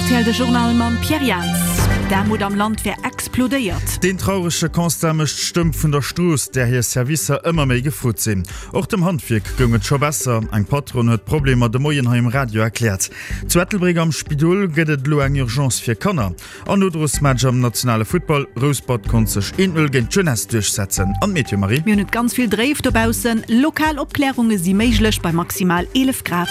Rtl, de Journal mam Pierre Jans. D'Aarmut am Land wär explodéiert. Deen traurege Constat mécht d'Stëmm vun der Strooss, där hir Servicer ëmmer méi gefrot sinn. Och dem Handwierk goung et scho besser. Eng Patronne huet d'Problemer de Moien hei um Radio erkläert. Zu Ettelbréck am Spidol gëtt et elo eng Urgence fir Kanner. An Nodrosmatch am nationale Futtball, Rouspert konnt sech 1, 0 géint d'Jeunesse duerchsetzen. An d'Meteo, Marie? Mir hunn et ganz vill dréif dobaussen. Lokal Opklärunge si méiglech bei maximal 11 Grad.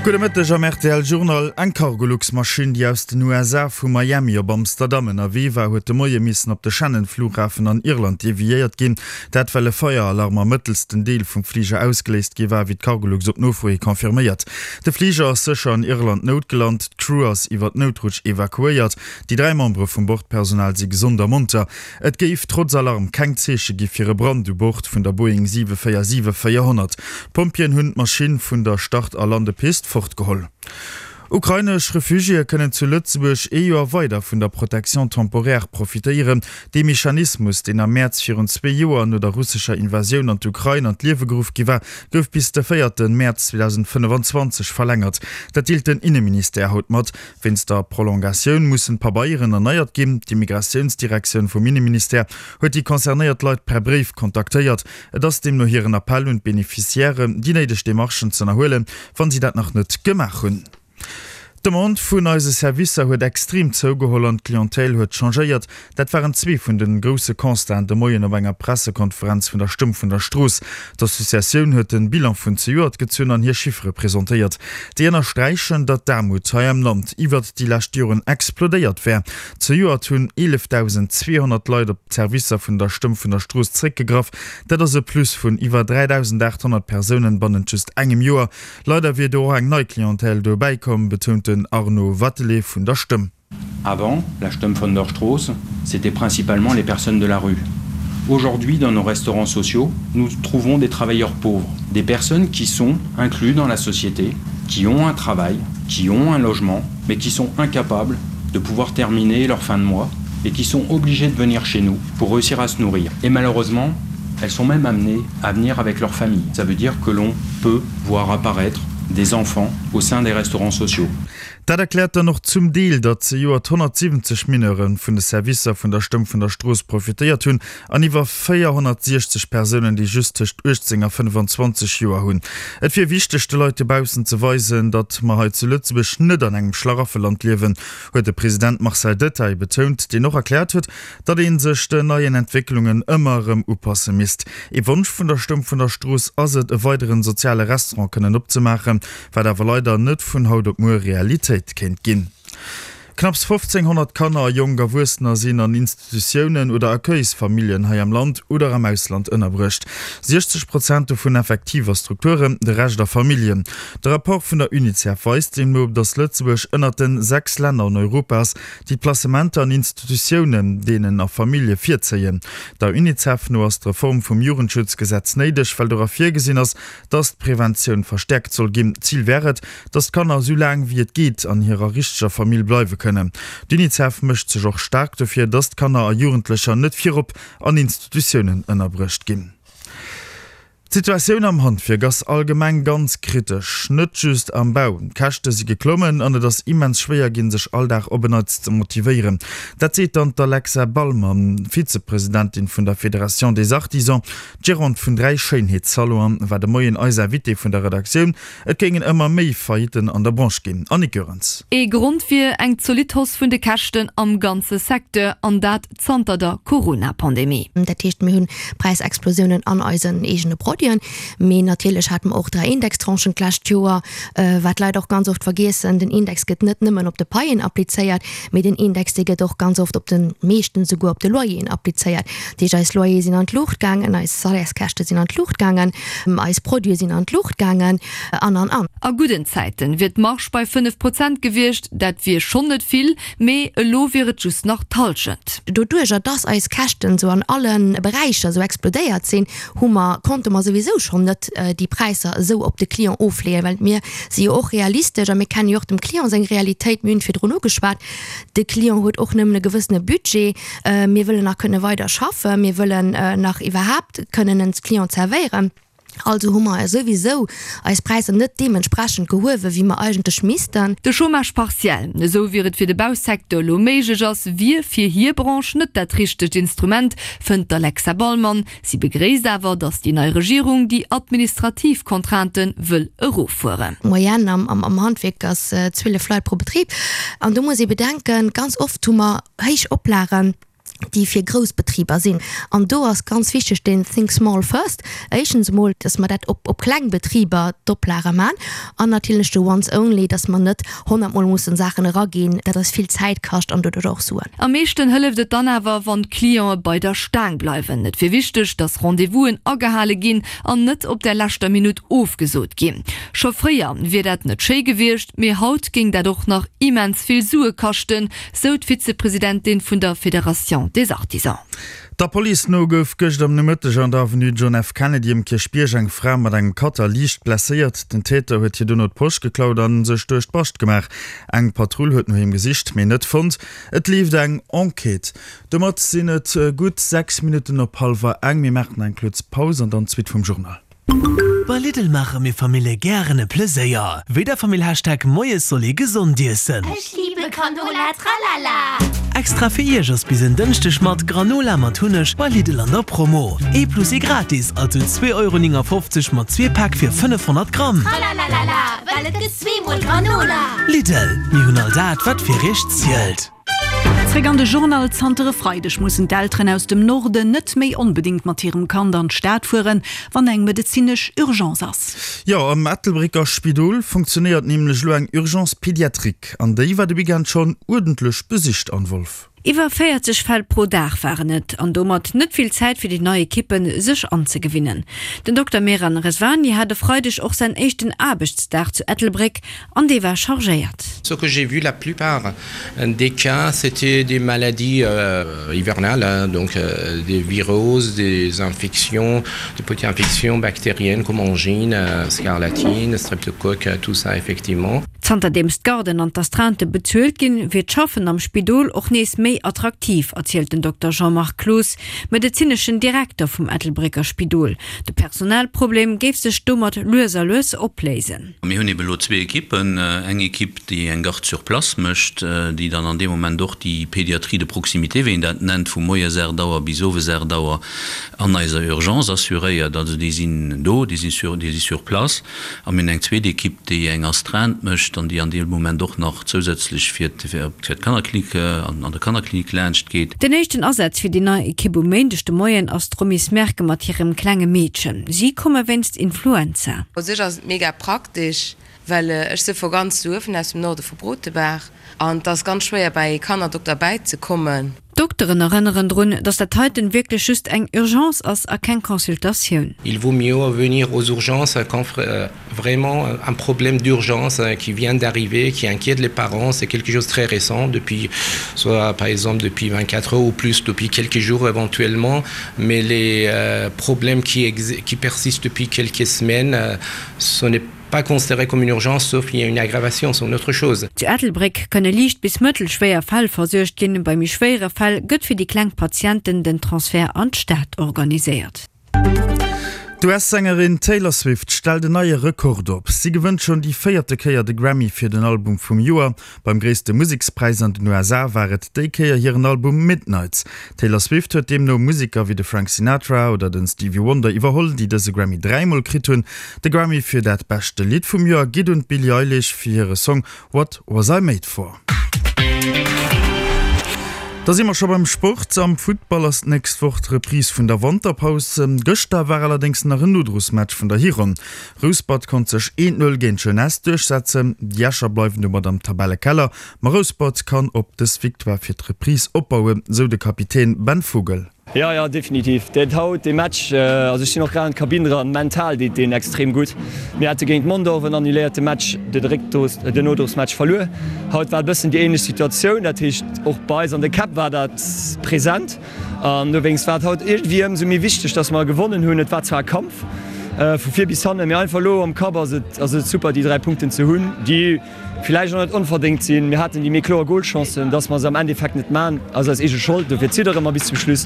Gudde Mëtteg am rtl Journal. Eng Cargolux-Maschinn, déi aus den USA vu Miami op Amsterdam ënnerwee war, huet de Moie missen op de Shannon-Flughafen an Irland deviéiert ginn. Dat well e Feieralarm am mëttelsten Deel vum Fliger ausgeléist gi war, wéi d'Cargolux op Nofro hi confirméiert. De Fliger ass sécher an Irland noutgelant, d'Crew ass iwwer d'Noutrutsch evakuéiert. Déi 3 Membere vum Bordpersonal si gesond a monter. Et géif trotz Alarm keng Zeeche gi fir e Brand u Bord vun der Boeing 747-400. D'Pompjeeën hunn d'Maschinn vun der Start a Landepist fortgeholl. Ukrainesch Refugiéë kënnen zu Lëtzebuerg ee Joer weider vun der Protection temporaire profitéieren. Dee Mechanismus, deen am Mäerz virun zwee Joer no der russescher Invasioun an d'Ukrain an d'Liewe geruff gi war, gouf bis de véierte Mäerz 2025 verlängert. Dat deelt den Inneministère haut mat. Wéinst der Prolongatioun mussen d'Pabeieren erneiert ginn. D'Immigratiounsdirektioun vum Inneministère huet déi concernéiert Leit per Bréif kontaktéiert. Et ass deemno hiren Appell un d'Beneficiairen, déi néideg Demarchen z'ënnerhuelen, wann si dat nach net gemaach hunn. D'Demande vun eise Servicer huet extrem zougeholl an d'Clientèle huet changéiert. Dat waren zwee vun de grousse Constaten de Moien op enger Pressekonferenz vun der Stëmm vun der Strooss. D'Associatioun huet de Bilan vun zejoert gezunn an hir Chiffere presentéiert. Déi ënnersträichen, datt d'Aarmut hei am Land iwwert déi lescht Joren explodéiert wär. Zejoert hunn 11.200 Leit op d'Servicer vun der Stëmm vun der Strooss zréckgegraff. Dat ass e Plus vun iwwer 3.800 Persounen bannent just engem Joer. Leider wier do och eng nei Clientèle dobäi komm, betount den Arnaud Wathelet vun der Stëmm. Avant, la Stëmm von der Strooss, c'était principalement les personnes de la rue. Aujourd'hui, dans nos restaurants sociaux, nous trouvons des travailleurs pauvres, des personnes qui sont inclus dans la société, qui ont un travail, qui ont un logement, mais qui sont incapables de pouvoir terminer leur fin de mois et qui sont obligés de venir chez nous pour réussir à se nourrir. Et malheureusement, elles sont même amenées à venir avec leur famille. Ça veut dire que l'on peut voir apparaître des enfants au sein des restaurants sociaux. Dat erkläert dann och zum Deel, datt zejoert 170 Mineure vun de Servicer vun der Stëmm vun der Strooss profitéiert hunn an iwwer 460 Persounen, déi just tëscht 18 a 25 Joer hunn. Et wier wichteg, de Leit dobaussen ze weisen, datt mer hei zu Lëtzebuerg net an engem Schlaraffeland liewen, huet de President Marcel Detaille betount, deen och erkläert huet, datt ee sech den neien Entwécklungen ëmmer erëm upasse misst. Ee Wonsch vun der Stëmm vun der Strooss ass et, e weideren soziale Restaurant kënnen opzemaachen, wat awer leider net vun haut op muer Realitéit kéint ginn. Knapps 1.500 Kanner a jonk Erwuessener sinn an Institutiounen oder Accueilsfamilljen hei am Land oder am Ausland ënnerbruecht. 60 Prozent dovun effektiv a Strukturen, de Rescht a Familljen. De Rapport vun der Unicef weist deemno, datt Lëtzebuerg ënnert den 6 Länner an Europa ass, déi d'Placementer an Institutiounen deenen a Famillje virzéien. Der Unicef no ass d'Reform vum Jugendschutzgesetz néideg, well dora virgesinn ass, datt d'Preventioun verstäerkt soll ginn. Zil wär et, datt d'Kanner esou laang wéi et geet an hirer richteger Famill bleiwe kënnen. D'Unicef mécht sech och staark dofir, datt d'Kanner a Jugendlecher net virop an Institutiounen ënnerbruecht ginn. D'Situatioun am Handwierk ass allgemeng ganz kritesch, net just am Bau. D'Käschte si geklommen an et ass immens schwéier ginn, sech all Dag op en Neits ze motivéieren. Dat seet dann d'Alexa Ballmann, Vizepresidentin vun der Fédération des Artisans. D'Gérante vun 3 Schéinheetssalonen war de Moien eis Invitée vun der Redaktioun. Et géingen ëmmer méi Faillitten an der Branche ginn. Annick Goerens. Ee Grond wier eng zolidd Hausse vun de Käschten am ganze Secteur, an dat zanter der Corona-Pandemie. Dat heescht, mir hunn Präisexplosiounen an eisen eegene Produiten, mee natierlech hate mer och 3 Indextranchen d'lescht Joer, wat d'Leit och ganz oft vergiessen, Den Index gëtt net nëmmen op de Paien applizéiert, mee den Index, dee gëtt och ganz oft op de, meeschtens esouguer op de Loyeren applizéiert. Dat heescht, eis Loyere sinn an d'Luucht gaangen, eis Salaires-käschte sinn an d'Luucht gaangen, eis Produite sinn an d'Luucht gaangen an, an, an. A gudden Zäiten wier d'Marge bei 5 Prozent gewiescht, dat wier schonn net vill, Mee elo wier et just nach d'Hallschent. Doduerjer dass eis Käschten esou an alle Beräicher esou explodéiert sinn, hu mer, konnte mer souwisou schonn net déi Präisser esou op de Client ofleeën, well mir si jo och realistesch a mir kenne jo och dem Client seng Realitéit. Mir hunn virdrun ugeschwat, de Client huet och nëmmen e gewëssene Budget. Mir wëllen nach kënne weider schaffen, mir wëllen nach iwwerhaapt kënnen en Client zerwéieren. Also hu mer souwisou eis Präisser net deementsprechend gehuewen, wéi mer eigentlech missten. De Chômage partiel, esou wier et fir de Bausecteur elo méiglech ass, wier fir hir Branche net dat richtegt Instrument, fënnt d'Alexa Ballmann. Si begréisst awer, datt déi nei Regierung déi administrativ Contraintë wëll eroffueren. D'Moyenne am Handwierk ass 12 Leit pro Betrib. An do muss ee bedenken, ganz oft hu mer héich Oplagen, déi fir grouss Betriber sinn. An do ass ganz wichteg deen Think small first. Éischtens emol, dass mer dat op op kleng Betriber d'Oplage man an natierlech de once only, dass mer net honnertmol mussen Saachen eraginn, dat eis vill Zäit kascht an doduerch och Suen. Am meeschten hëlleft et dann awer, wann d'Clientë bei der Staang bleiwen. Et wier wichteg, dass Rendez-vousen agehale ginn an net op der leschter Minutt ofgesot ginn. Scho fréier wier dat net schéi gewiescht, mee haut géing dat och nach immens vill Sue kaschten, sou d'Vizepresidentin vun der Fédération des Artisans. Der Police no gouf gëscht am Nomëtteg an der Avenue John F. Kennedy um Kierchbierg eng Fra mat engem Cutter liicht blesséiert. Den Täter huet hir dono d'Posch geklaut a sech duerch d'Bascht gemaach. Eng Patrull huet no him gesicht, mee net fonnt. Et leeft eng Enquête. Domat sinn et gutt 6 Minutten op hallwer eng. Mir maachen eng kuerz Paus an dann d'Suite vum Journal. Bei Lidl maache mir Famille gären e Pleséier. Wéi der Famill Hashtag Moies soll ee gesond iessen. Ech liebe Granola tralala. Extra fir iech ass bis en Dënschdeg mat Granola mat Hunneg bei Lidl an der Promo. Ee plus ee gratis, also 2,59 Euro mat zwee Päck fir 500 Gramm. Tralalala, well et gëtt zweemol Granola. Lidl, mir hunn all dat wat fir iech zielt. Zréck an de Journal Zanter e Freideg mussen d'Elteren aus dem Norden net méi onbedéngt mat hirem Kand an d'Stad fueren, wann eng medezinesch Urgence ass. Jo, am Ettelbrécker Spidol funktionéiert nämlech elo eng Urgence pédiatrique an déi war de Weekend schonn uerdentlech besicht. Anne Wolff. Iwwer 40 Fäll pro Dag waren et an domat net vill Zäit fir déi nei Ekippen, sech anzegewinnen. Den Dokter Mehran Rezvani hat e Freideg och säin éischten Aarbechtsdag zu Ettelbréck an dee war chargéiert. Ce que j'ai vu la plupart des cas c'était des maladies hivernales donc des viroses, des infections, des petites infections bactériennes comme angine, scarlatine, streptocoque, tout ça effectivement. Zanterdeems d'Garden an d'Astreinte bezuelt ginn, wier d'Schaffen am Spidol och nees méi attraktiv, erzielt den Dokter Jean-Marc Cloos, medezineschen Direkter vum Ettelbrécker Spidol. De Personalproblem géif sech domat lues a lues opléisen. Mir hunn ebe lo zwee Ekippen, eng Ekipp, déi eng Garde sur place mécht, déi dann an deem Moment och déi Pédiatrie de proximité, wéi een dat nennt, vu moies 8 Auer bis owes 8 Auer an eiser Urgence assuréiert. Also déi sinn do, déi si sur, déi si sur place. A mir hunn eng zweet Ekipp, déi eng Astreinte mécht an déi an deem Moment och nach zousätzlech fir d'Kannerklinik, an der Kannerklinik laanscht geet. Den éischten Asaz fir déi nei Ekipp um Méindeg de Moien ass d'Romy Smerke mat hirem klenge Meedchen. Si komme wéinst Influenza. U sech ass et mega praktesch, well ech si vu ganz Suewen, aus dem Norde vu Brotebaach, an et ass ganz schwéier bäi ee Kannerdokter bäizekommen. D'Dokteren erënneren drun, datt dat heiten wierklech just eng Urgence ass a keng Consultatioun. Il vaut mieux venir aux urgences quand vraiment un problème d'urgence qui vient d'arriver, qui inquiète les parents, c'est quelque chose très récent depuis soit par exemple depuis 24 heures ou plus depuis quelques jours éventuellement, mais les euh, problèmes qui, qui persistent depuis quelques semaines, euh, ce n'est pas considéré comme une urgence sauf il y a une aggravation c'est une autre chose. Zu Ettelbréck kënne liicht bis mëttelschwéier Fäll versuergt ginn. Bei méi schwéiere Fäll gëtt fir déi kleng Patienten den Transfert an d'Stad organiséiert. D'US-Sängerin Taylor Swift stellt en neie Rekord op. Si gewënnt schonn déi véierte Kéier de Grammy fir den Album vum Joer. Beim gréisste Musekspräis an den USA war et déi Kéier hiren Album Midnights. D'Taylor Swift huet deemno Museker wéi de Frank Sinatra oder den Stevie Wonder iwwerholl, déi dëse Grammy dräimol kritt hunn. De Grammy fir dat beschte Lidd vum Joer geet un d'Billie Eilish fir hire Song What Was I Made For. Da si mer scho beim Sport. Am Futtball ass d'nächst Woch d'Reprise vun der Wanterpaus. Gëschter war allerdéngs nach en Nodrosmatch vun der Hironn. Rouspert konnt sech 1, 0 géint d'Jeunesse duerchsetzen. Déi Escher bleiwen domat am Tabellekeller, ma Rouspert kann op dës Victoire fir d'Reprise opbauen, sou de Kapitän Ben Vogel. Jo, jo, definitiv. Dat haut, dee Match, also ech sinn och grad an d'Kabinn eran, mental deet deen extrem gutt. Mir hate géint Mondorf en annuléierte Match, de Réckdos, den Nodrosmatch verluer. Haut war e bëssen déi ähnlech Situatioun, dat heescht och bei eis an de Käpp war dat present. An dowéinst war et haut iergendwéi ëmsou méi wichteg, dass mer gewonnen hunn. Et war zwar e Kampf vu vir bis hannen, mee einfach elo am Kapp ass et, ass et super déi 3 Punkten ze hunn, déi, Villäicht och net onverdéngt sinn. Mir haten déi méi kloer Golchancen. Dass mer se am Endeffekt net man, ass eis eege Schold. Dofir ziddere mer bis zum Schluss.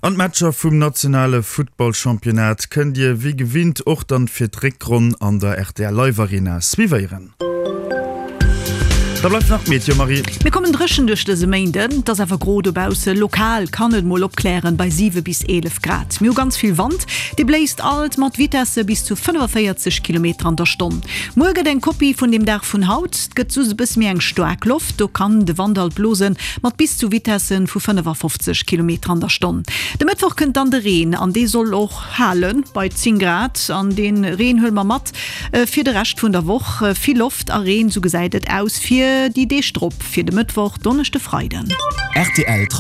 An d'Matcher vum nationale Futtballchampionnat kënnt Dir wéi gewinnt och dann fir d'Réckronn an der rtl Live Arena suivéieren. Da bleift nach d'Meteo, Marie. Mir kommen dréchen duerch dëse Méinden, et ass awer gro dobausse. Lokal kann et mol opklären bei 7 bis 11 Grad. Mir hu ganz vill Wand, dee bléist alt mat Vitesse bis zu 45 Kilometer an der Stonn. Muer gëtt eng Kopie vun dem Dag vun haut, et gëtt soss e bësse méi eng staark Loft, do kann de Wand alt blose mat bis zu Vitesse vu 55 Kilometer an der Stonn. De Mëttwoch kënnt dann de Reen an dee soll och hale bei 10 Grad an dee Reen huele mer mat Fir de Rescht vun der Woch vill Loft a Reen, sou gesäit et aus fir déi Deeg drop, fir de Mëttwoch, Donneschde, Freiden. Rtl.